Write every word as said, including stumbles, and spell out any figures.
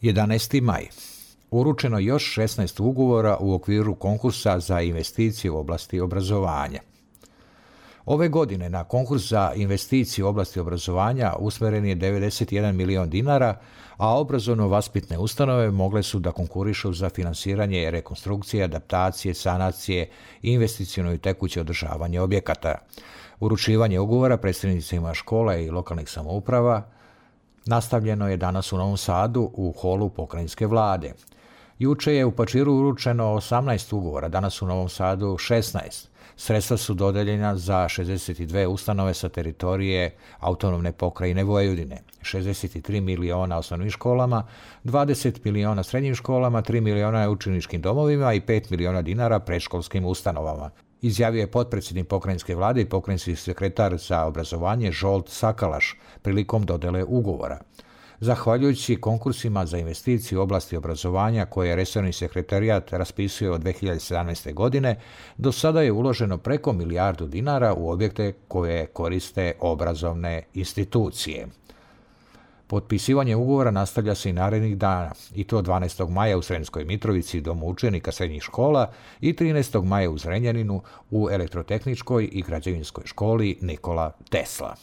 jedanaesti maj. Uručeno još šesnaest ugovora u okviru konkursa za investicije u oblasti obrazovanja. Ove godine na konkurs za investicije u oblasti obrazovanja usmeren je devedeset jedan milion dinara, a obrazovno-vaspitne ustanove mogle su da konkurišu za finansiranje rekonstrukcije, adaptacije, sanacije, investiciono i tekuće održavanje objekata. Uručivanje ugovora predstavnicima škola i lokalnih samouprava nastavljeno je danas u Novom Sadu u holu pokrajinske vlade. Juče je u Pačiru uručeno osamnaest ugovora, danas u Novom Sadu šesnaest. Sredstva su dodeljena za šezdeset dve ustanove sa teritorije autonomne pokrajine Vojvodine, šezdeset tri miliona osnovnim školama, dvadeset miliona srednjim školama, tri miliona učeničkim domovima i pet miliona dinara predškolskim ustanovama, izjavio je potpredsjednik pokrajinske vlade i pokrajinski sekretar za obrazovanje Žolt Sakalaš prilikom dodele ugovora. Zahvaljujući konkursima za investicije u oblasti obrazovanja koje je resorni sekretarijat raspisuje od dve hiljade sedamnaeste. godine, do sada je uloženo preko milijardu dinara u objekte koje koriste obrazovne institucije. Potpisivanje ugovora nastavlja se i narednih dana, i to dvanaestog maja u Sremskoj Mitrovici domu učenika srednjih škola i trinaestog maja u Zrenjaninu u Elektrotehničkoj i građevinskoj školi Nikola Tesla.